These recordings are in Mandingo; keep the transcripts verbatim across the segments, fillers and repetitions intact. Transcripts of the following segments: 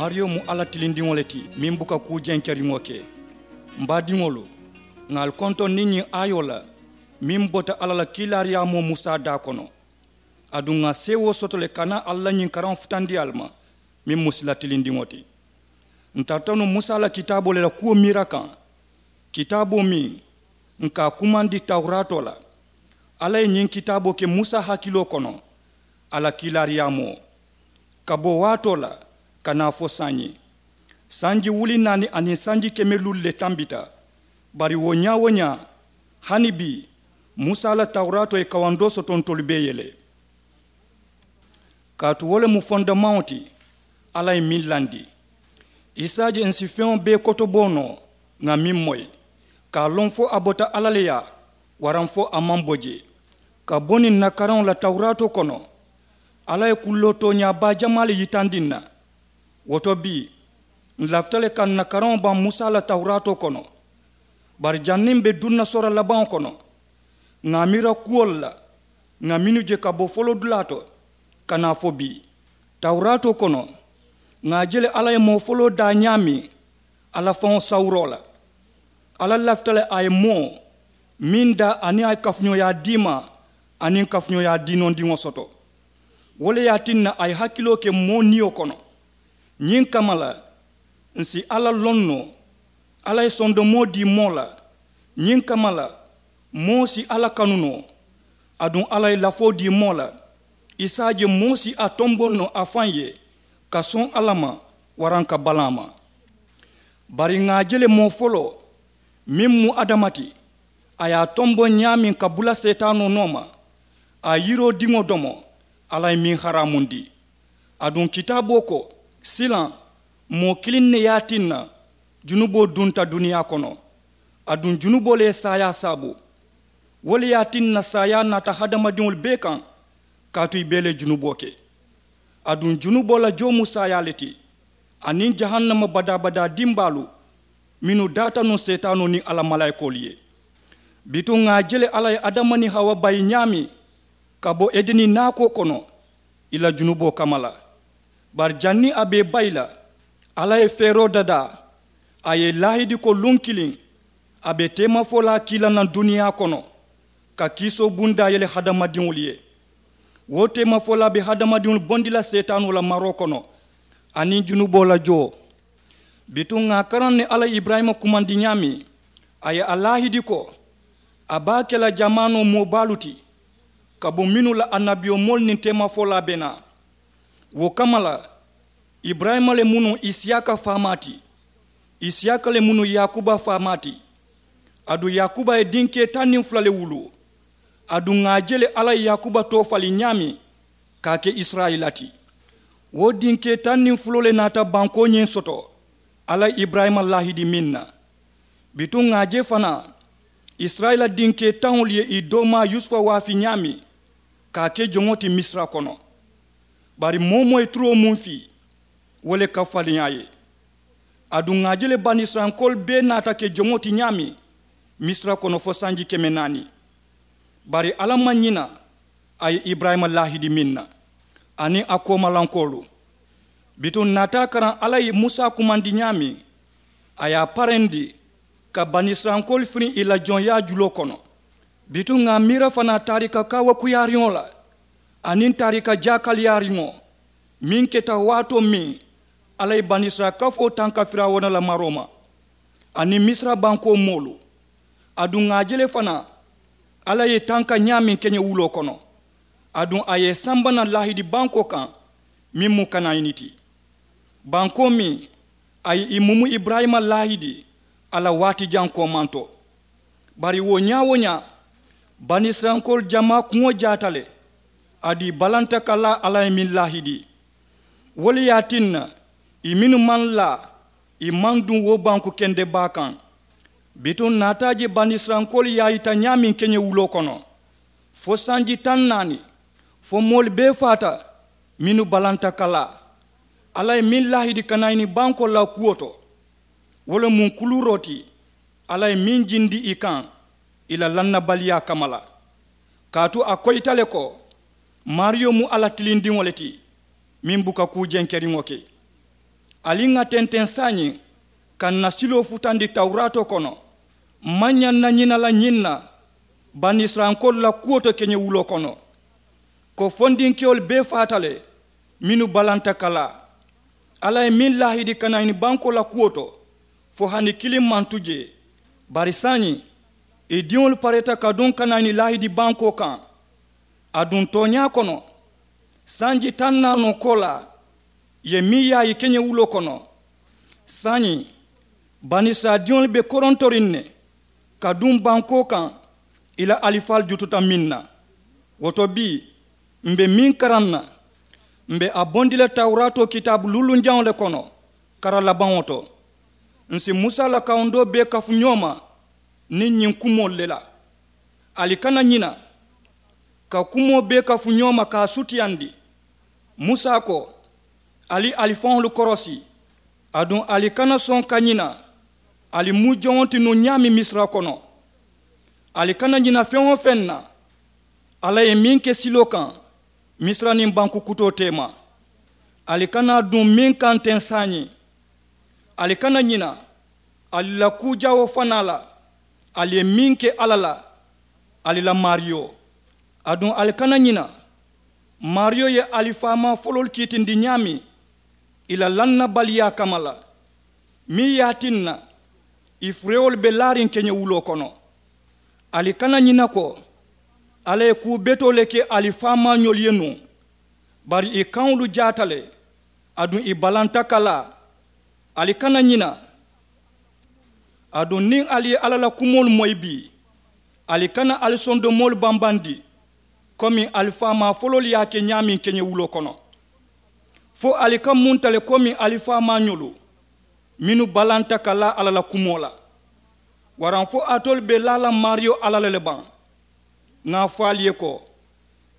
Maariyo mu alla tilindiŋo le ti meŋ buka kuu jenkeriŋo ke. M baadiŋolu, ŋà ali kontoŋ niŋ ñiŋ aayoo la meŋ bota alla la kiilaariyaamoo musa daa kono. Aduŋ ŋà seewoo soto le ka naa alla ñiŋ karaŋo futandi ali ma meŋ mu sila tilindiŋo ti. N tarata nuŋ musa la kitaaboo le la kuwo miira kaŋ, kitaaboo meŋ n ka a kumandi tawuraatoo la. Alla ye ñiŋ kitaaboo ke musa hakiloo kono a la kiilaariyaamoo, ka bo waatoo la ka naa fo saayiŋ. Sanji wuli naani aniŋ sanji keme luulu le tambita. Bari wo ñaa-wo-ñaa, hani bii, musa la tawuraatoo ye kawandoo soto ntolu bee ye le. Kaatu wo le mu fondemaŋo ti alla ye meŋ landi. Isa je n si feŋo bee kotoboo noo ŋà meŋ moyi, ka a loŋ fo a bota alla le yaa, waraŋ fo a maŋ bo jee. Ka bo niŋ n na karaŋo la tawuraatoo kono, alla ye kulloo tooñaa baa jamaa le yitandi n na. Wo to bii, n lafita le ka n na karaŋo baŋ musa la tawuraatoo kono. Bari janniŋ m be duŋ na sora labaŋo kono, ŋà a miira kuwolu la ŋà mennu je ka bo foloodulaa to ka naa fo bii. Tawuraatoo kono, ŋà a je le alla ye moo foloo daa ñaameŋ alla faŋo sawuroo la. Alla lafita le a ye moo meŋ daa aniŋ a ye kafuñooyaa diimaa aniŋ kafuñooyaa diinondiŋo soto. Wo le ye a tinna a ye hakiloo ke moo niyo kono. Ñiŋ kamma la, n si alla loŋ noo. Alla ye sondomoo dii moo la. Ñiŋ kamma la, moo si alla kanu noo. Aduŋ alla ye lafoo dii moo la, i si a je moo si a tomboŋ noo a faŋ ye ka soŋ alla ma, waraŋ ka balaa ma. Bari ŋà a je le moo foloo meŋ mu adama ti, a ye a tomboŋ ñaameŋ ka bula seetaanoo nooma, a ye yiroo diŋo domo, alla ye meŋ haraamundi. Aduŋ kitaaboo ko, silaŋ moo kiliŋ ne ye a tinna junuboo dunta duniyaa kono. Aduŋ junuboo le ye saayaa saabu. Wo le ye a tinna saayaa naata hadamadiŋolu bee kaŋ, kaatu i bee le ye junuboo ke. Aduŋ junuboo la joo mu saayaa le ti, aniŋ jahannama badaa-badaa dimbaalu mennu daata nuŋ seetaanoo niŋ a la malaayikoolu ye. Bituŋ ŋà a je le alla ye adama niŋ hawa bayi ñaameŋ ka bo edeni naakoo kono, i la junuboo kamma la. Bari janniŋ a be i bayi la, alla ye feeroo dadaa. A ye i laahidi ko luŋ kiliŋ a be teemafolaa kii la naŋ duniyaa kono, ka kiisoo bundaa yele hadamadiŋolu ye. Wo teemafolaa be hadamadiŋolu bondi la seetaanoo la maroo kono, aniŋ junuboo la joo. Bituŋ ŋà a karaŋ ne alla ye iburayima kumandi ñaameŋ, a ye a laahidi ko a be a ke la jamaanoo moo baalu ti, ka bo mennu la annabiyomoolu niŋ teemafolaa be naa. Wo kamma la, iburayima le mu nuŋ isiyaaka faamaa ti. Isiyaaka le mu nuŋ yaakuba faamaa ti. Aduŋ yaakuba ye dinkee taŋ niŋ fula le wuluu. Aduŋ ŋà a je le alla ye yaakuba toofali ñaameŋ ka a ke isirayila ti. Wo dinkee taŋ niŋ fuloo le naata bankoo ñiŋ soto alla ye iburayima laahidi meŋ na. Bituŋ ŋà a je fanaa, isirayila dinkee taŋolu ye ì doomaa yusufa waafi ñaameŋ ka a ke joŋo ti misira kono. Bari moo-wo-moo ye turoo muŋ fii, wo le ka faliŋ a ye. Aduŋ ŋà a je le banisirayilankoolu bee naata ke joŋo ti ñaameŋ misira kono fo sanji keme naani. Bari alla maŋ ñina a ye iburayima laahidi meŋ na, aniŋ a koomalankoolu. Bituŋ n naata a karaŋ alla ye musa kumandi ñaameŋ, a ye a parendi ka banisirayilankoolu firiŋ ì la joŋyaa juloo kono. Bituŋ ŋà a miira fanaa taarika kaawakuyaariŋo la, aniŋ taarika jaakaliyaariŋo meŋ keta waatoo meŋ alla ye banisirayila kafoo tanka firawuna la maroo ma, aniŋ misira bankoo moolu. Aduŋ ŋà a je le fanaa, alla ye ì tanka ñaameŋ keñewuloo kono. Aduŋ a ye ì samba naŋ laahidi bankoo kaŋ meŋ mu kanayini ti, bankoo meŋ a ye ì mumu iburayima laahidi a la waati jaŋ koomanto. Bari wo ñaa-wo-ñaa, banisirayilankoolu jamaa kuŋo jaata le. Aduŋ ì balanta ka laa alla ye meŋ laahidi. Wo le ye a tinna ì mennu maŋ laa, ì maŋ duŋ wo banku kende baa kaŋ. Bituŋ n naata a je banisirayilankoolu ye a yita ñaameŋ keñewuloo kono, fo sanji taŋ naani, fo moolu bee faata mennu balanta ka laa. Alla ye meŋ laahidi kanayini bankoo la kuwo to, wo le mu kuluuroo ti alla ye meŋ jindi ì kaŋ ì la lannabaliyaa kamma la. Kaatu a koyita le ko maariyo mu alla tilindiŋo le ti meŋ buka kuu jenkeriŋo ke. Ali ŋà tenteŋ saayiŋ ka ǹ na siloo futandi tawuraatoo kono. M̀ maŋ ñaŋ na ñina la ñiŋ na banisirayilankoolu la kuwo to keñewuloo kono, ko fondinkewolu bee faata le mennu balanta ka laa. Alla ye meŋ laahidi kanaani bankoo la kuwo to, fo hani kiliŋ maŋ tu jee. Bari saayiŋ ì diŋolu pareta ka duŋ kanaani laahidi bankoo kaŋ. Aduŋ tooñaa kono, sanji taŋ naanoo koolaa, ì ye meŋ yaayi keñewuloo kono. Saayiŋ banisirayila diŋolu be korontoriŋ ne ka duŋ bankoo kaŋ ì la alifaalu jututa meŋ na. Wo to bii, m̀ be meŋ karaŋ na, m̀ be a bondi la tawuraatoo kitaabu luulunjaŋo le kono, kara labaŋo to. Ǹ si musa la kawundoo bee kafu ñoo ma niŋ ñiŋ kumoolu le la. Ali kana ñina ka kumoo bee kafu ñoo ma ka a sutiyandi. Musa ko, ali ali faŋolu korosi, aduŋ ali kana soŋ ka ñina ali mu joŋo ti nuŋ ñaameŋ misira kono. Ali kana ñina feŋ-wo-feŋ na alla ye meŋ ke siloo kaŋ, misira niŋ banku kutoo teema. Ali kana duŋ meŋ kaŋ teŋ saayiŋ. Ali kana ñina ali la kuu jawoo fanaa la, ali ye meŋ ke alla la, ali la maariyo. Aduŋ ali kana ñina maariyo ye ali faamaa foloolu kiitindi ñaameŋ ì la lannabaliyaa kamma la, meŋ ye a tinna ì furewolu be laariŋ keñewuloo kono. Ali kana ñina ko alla ye kuu betoo le ke ali faamaañolu ye nuŋ, bari ì kaŋolu jaata le, aduŋ ì balanta ka laa. Ali kana ñina aduŋ niŋ ali ye alla la kumoolu moyi bii, ali kana ali sondomoolu bambandi komi ali faamaa foloolu ye a ke ñaameŋ keñewuloo kono. Fo ali ka munta le komi ali faamaañolu mennu balanta ka laa alla la kumoo la? Waraŋ fo alitolu be laa la maariyo alla la le baŋ? Ŋà a fo ali ye ko,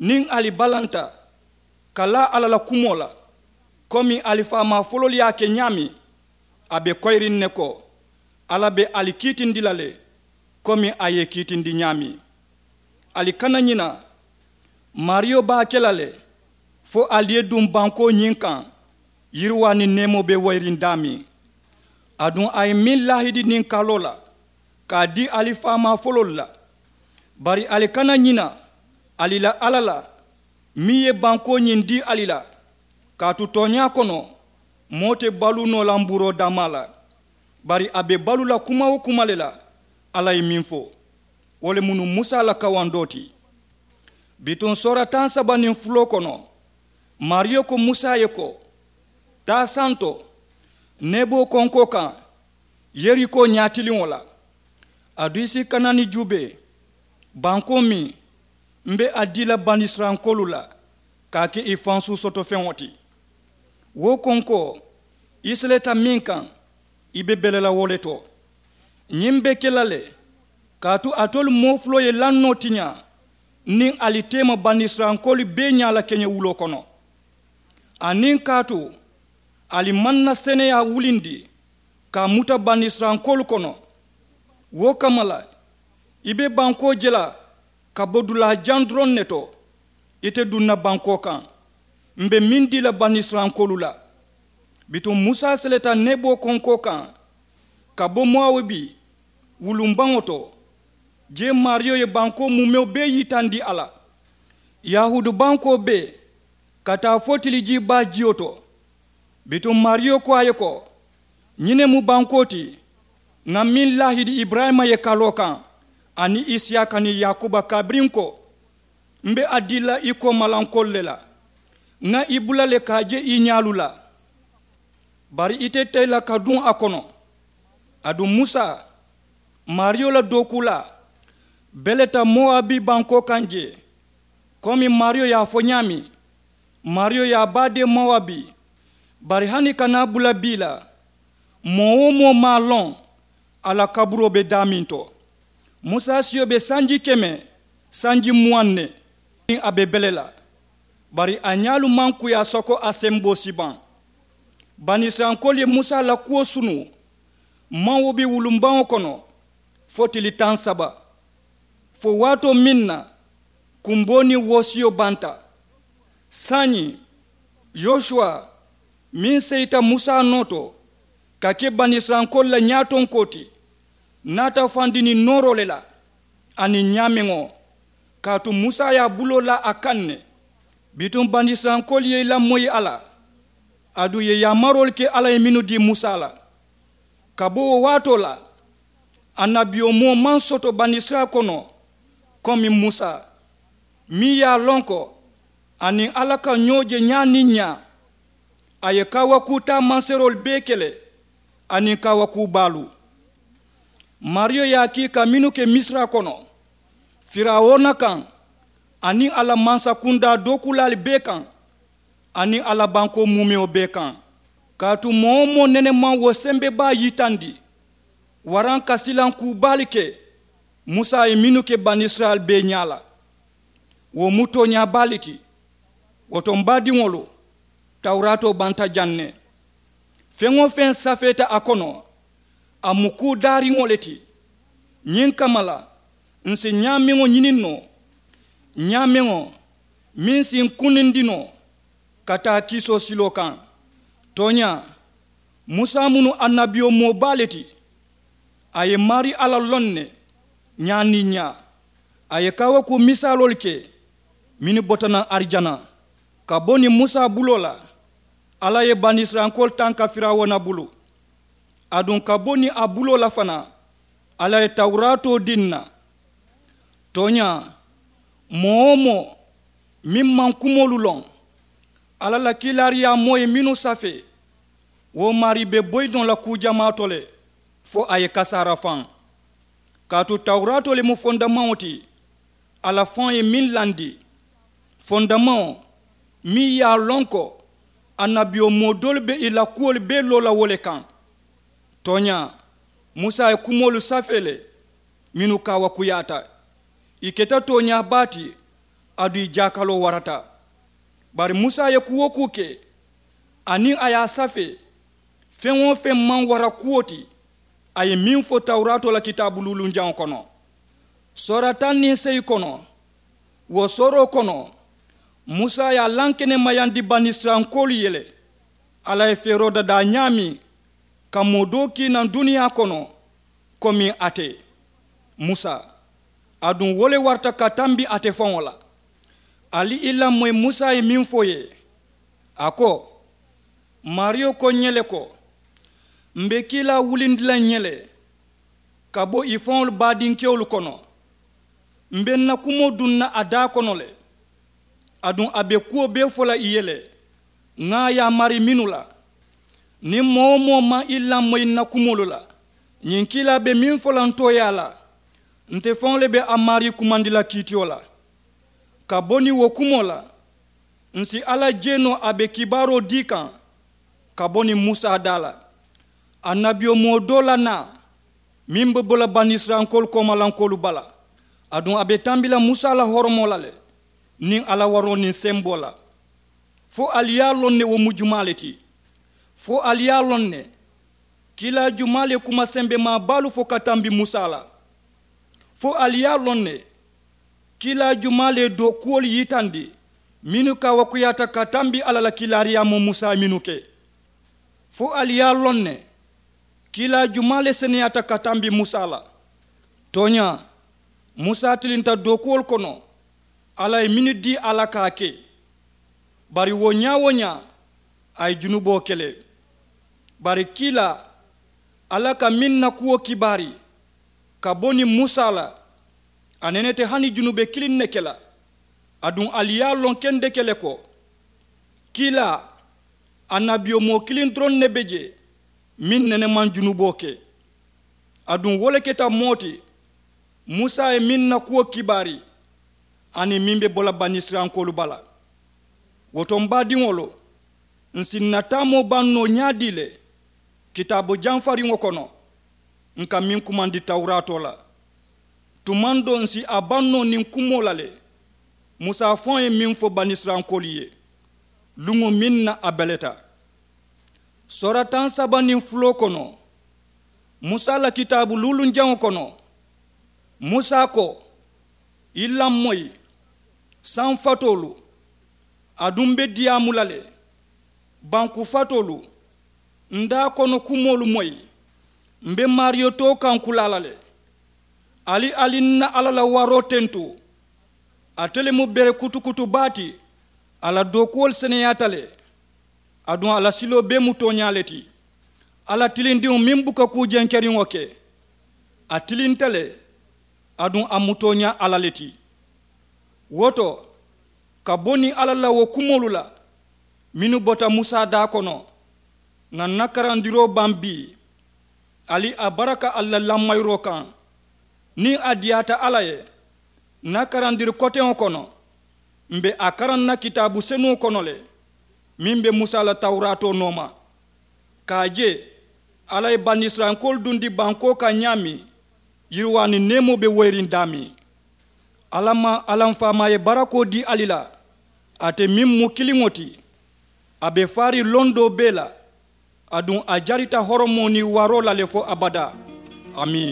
niŋ ali balanta ka laa alla la kumoo la komi ali faamaa foloolu ye a ke ñaameŋ, a be koyiriŋ ne ko alla be ali kiitindi la le komi a ye ì kiitindi ñaameŋ. Ali kana ñina maariyo be a ke la le fo ali ye duŋ bankoo ñiŋ kaŋ yiriwaa niŋ neemoo be woyiriŋ daameŋ. Aduŋ a ye meŋ laahidi niŋ kaloo la ka a dii ali faamaa foloolu la. Bari ali kana ñina ali la alla la meŋ ye bankoo ñiŋ dii ali la. Kaatu tooñaa kono, moo te baluu noo la mbuuroo dammaa la, bari a be baluu la kuma-wo-kuma le la alla ye meŋ fo. Wo le mu nuŋ musa la kawandoo ti. Bituŋ soora taŋ saba niŋ fuloo kono, maariyo ko musa ye ko, taa santo neboo konkoo kaŋ yerikoo ñaatiliŋo la. Aduŋ ì si kanaani juubee bankoo meŋ m̀ be a dii la banisirayilankoolu la ka a ke ì fansuu soto feŋo ti. Wo konkoo ì seleta meŋ kaŋ, ì be bele la wo le to. Ñiŋ be ke la le kaatu alitolu moo fuloo ye lannoo tiñaa niŋ ali teema banisirayilankoolu bee ñaa la keñewuloo kono. Aniŋ kaatu ali maŋ na seneyaa wulindi ka a muta banisirayilankoolu kono. Wo kamma la ì be bankoo je la ka bo dulaa jaŋ doroŋ ne to. Ite duŋ na bankoo kaŋ m̀ be meŋ dii la banisirayilankoolu la. Bituŋ musa seleta neboo konkoo kaŋ ka bo mowabi wulumbaŋo to. Jee maariyo ye bankoo muumewo bee yitandi a la, yahuudu bankoo bee ka taa fo tilijii baa jiyo to. Bituŋ maariyo ko a ye ko, ñiŋ ne mu bankoo ti ŋà meŋ laahidi iburayima ye kaloo kaŋ aniŋ isiyaaka niŋ yaakuba kabiriŋ ko, m̀ be a dii la ì koomalankoolu le la. Ŋa ì bula le ka a je ì ñaalu la, bari ite te la ka duŋ a kono. Aduŋ musa, maariyo la dookuulaa beleta mowabi bankoo kaŋ jee. Komi maariyo ye a fo ñaameŋ, maariyo ye a baa dee mowabi. Bari hani ka naa bula bii la, moo-wo-moo maŋ a loŋ a la kaburoo be daameŋ to. Musa siyo be sanji keme sanji muwaŋ ne niŋ a be bele la, bari a ñaalu maŋ kuyaa soko a semboo si baŋ. Banisirayilankoolu ye musa la kuwo sunu maŋ wo be wulumbaŋo kono fo tili taŋ saba, fo waatoo meŋ na kumboo niŋ woosiyo banta. Saayiŋ yosuwa Meŋ seyita musa noo to ka ke banisirayilankoolu la ñaatonkoo ti naata fandi niŋ nooroo le la aniŋ ñaameŋo. Kaatu musa ye a buloo laa a kaŋ ne. Bituŋ banisirayilankoolu ye i lamoyi a la aduŋ ì ye yaamaroolu ke alla ye mennu dii musa la. Ka bo wo waatoo la annabiyomoo maŋ soto banisirayila kono komi musa, meŋ ye a loŋ ko a niŋ alla ka ñoo je ñaa niŋ ñaa. A ye kaawakuu taamanseeroolu bee ke le aniŋ kaawakuu baalu. Maariyo ye a kii ka mennu ke misira kono firawuna kaŋ aniŋ a la mansakundaa dookuulaalu bee kaŋ aniŋ a la bankoo muumewo bee kaŋ. Kaatu moo-wo-moo nene maŋ wo sembebaa yitandi waraŋ ka silaŋ kuu baalu ke musa ye mennu ke banisirayila bee ñaa la. Wo mu tooñaa baa le ti. Wo to m baadiŋolu, tawuraatoo banta jaŋ ne. Feŋ-wo-feŋ safeeta a kono a mu kuu daariŋo le ti. Ñiŋ kamma la m si ñaameŋo ñiniŋ noo, ñaameŋo meŋ si m kunindi noo ka taa kiisoo siloo kaŋ. Tooñaa, musa mu nuŋ annabiyomoo baa le ti. A ye maarii alla loŋ ne ñaa niŋ ñaa. A ye kaawakuu misaaloolu ke mennu bota naŋ arijana. Ka bo niŋ musa buloo la alla ye banisirayilankoolu tanka firawuna bulu. Aduŋ ka bo niŋ a buloo la fanaa alla ye tawuraatoo dii n na. Tooñaa, moo-wo-moo meŋ maŋ kumoolu loŋ alla la kiilaariyaamoo ye mennu safee, wo maarii be boyi noo la kuu jamaa to le fo a ye kasaara faŋ. Kaatu tawuraatoo le mu fondamaŋo ti. Alla faŋo ye meŋ landi, fondamaŋo meŋ ye a loŋ ko annabiyomoo doolu be ì la kuwolu bee loo la wo le kaŋ. Tooñaa, musa ye kumoolu safee le mennu kaawakuyaata. Ì keta tooñaa baa ti. Aduŋ ì jaakaloo warata. Bari musa ye kuu-wo-kuu ke aniŋ a ye a safee, feŋ-wo-feŋ maŋ wara kuwo ti. A ye meŋ fo tawuraatoo la kitaabu luulunjaŋo kono, soora taŋ niŋ seyi kono, wo sooroo kono musa ye a lankenemayandi banisirayilankoolu ye le. Alla ye feeroo dadaa ñaameŋ ka moo doo kii naŋ duniyaa kono komiŋ ate, musa, aduŋ wo le warata ka tambi ate faŋo la. Ali i lamoyi musa ye meŋ fo ì ye, a ko, maariyo ko ǹ ye le ko, m̀ be kiilaa wulindi la ǹ ye le ka bo ì faŋolu baadinkewolu kono. M̀ be ǹ na kumoo duŋ na a daa kono le. Aduŋ a be kuwo bee fo la ì ye le ŋà a yaamari mennu la. Niŋ moo-wo-moo maŋ i lamoyi ǹ na kumoolu la, ñiŋ kiilaa be meŋ fo la ǹ tooyaa la, nte faŋo le be a maarii kumandi la kiitiyo la. Ka bo niŋ wo kumoo la, ǹ si alla jee noo a be kibaaroo dii kaŋ ka bo niŋ musa daa la, annabiyomoo doo la naa meŋ be bo la banisirayilankoolu koomalankoolu bala. Aduŋ a be tambi la musa la horomoo la le niŋ a la waroo niŋ semboo la. Fo ali ye a loŋ ne wo mu jumaa le ti? Fo ali ye a loŋ ne kiilaa jumaa le ye kuma sembemaa baalu fo ka tambi musa la? Fo ali ye a loŋ ne kiilaa jumaa le ye dookuwolu yitandi mennu kaawakuyaata ka tambi alla la kiilaariyaamoo musa ye mennu ke? Fo ali ye a loŋ ne kiilaa jumaa le seneyaata ka tambi musa la? Tooñaa, musa tilinta dookuwolu kono alla ye mennu dii a la ka a ke. Bari wo ñaa-wo-ñaa a ye junuboo ke le. Bari kiilaa, alla ka meŋ na kuwo kibaari ka bo niŋ musa la, a nene te hani junube kiliŋ ne ke la. Aduŋ ali ye a loŋ kendeke le ko kiilaa, annabiyomoo kiliŋ doroŋ ne be jee meŋ nene maŋ junuboo ke. Aduŋ wo le keta moo ti musa ye meŋ na kuwo kibaari aniŋ meŋ be bo la banisirayilankoolu bala. Wo to m baadiŋolu, ǹ si ǹ na taamoo baŋ noo ñaadii le kitaabu jamfariŋo kono ǹ ka meŋ kumandi tawuraatoo la? Tumaŋ doo ǹ si a baŋ noo niŋ kumoo la le musa faŋo ye meŋ fo banisirayilankoolu ye luŋo meŋ na a beleta. Soora taŋ saba niŋ fuloo kono, musa la kitaabu luulunjaŋo kono, musa ko, i lamoyi, saŋ fatoolu, aduŋ m be diyaamu la le. Banku fatoolu, n daa kono kumoolu moyi. M be maariyo too kaŋ kulaa la le. Ali ali n na alla la waroo tentu. Ate le mu bere kutukutu baa ti. A la dookuwolu seneyaata le. Aduŋ a la siloo bee mu tooñaa le ti. Alla tilindiŋo meŋ buka kuu jenkeriŋo ke, a tilinta le. Aduŋ a mu tooñaa alla le ti. Wo to, ka bo niŋ alla la wo kumoolu la mennu bota musa daa kono, ŋà n na karandiroo baŋ bii. Ali a baraka ali la lamayiroo kaŋ. Niŋ a diyaata alla ye, n na karandiri koteŋo kono, m be a karaŋ na kitaabu senuŋo kono le, meŋ be musa la tawuraatoo nooma. Ka a je, alla ye banisirayilankoolu dundi bankoo kaŋ ñaameŋ, yiriwaa niŋ neemoo be woyiriŋ daameŋ. Alla maŋ alla m faamaa ye barakoo dii ali la. Ate meŋ mu kiliŋo ti, a be faariŋ londoo bee la. Aduŋ a jarita horomoo niŋ waaroo la le fo abadaa. Amiin.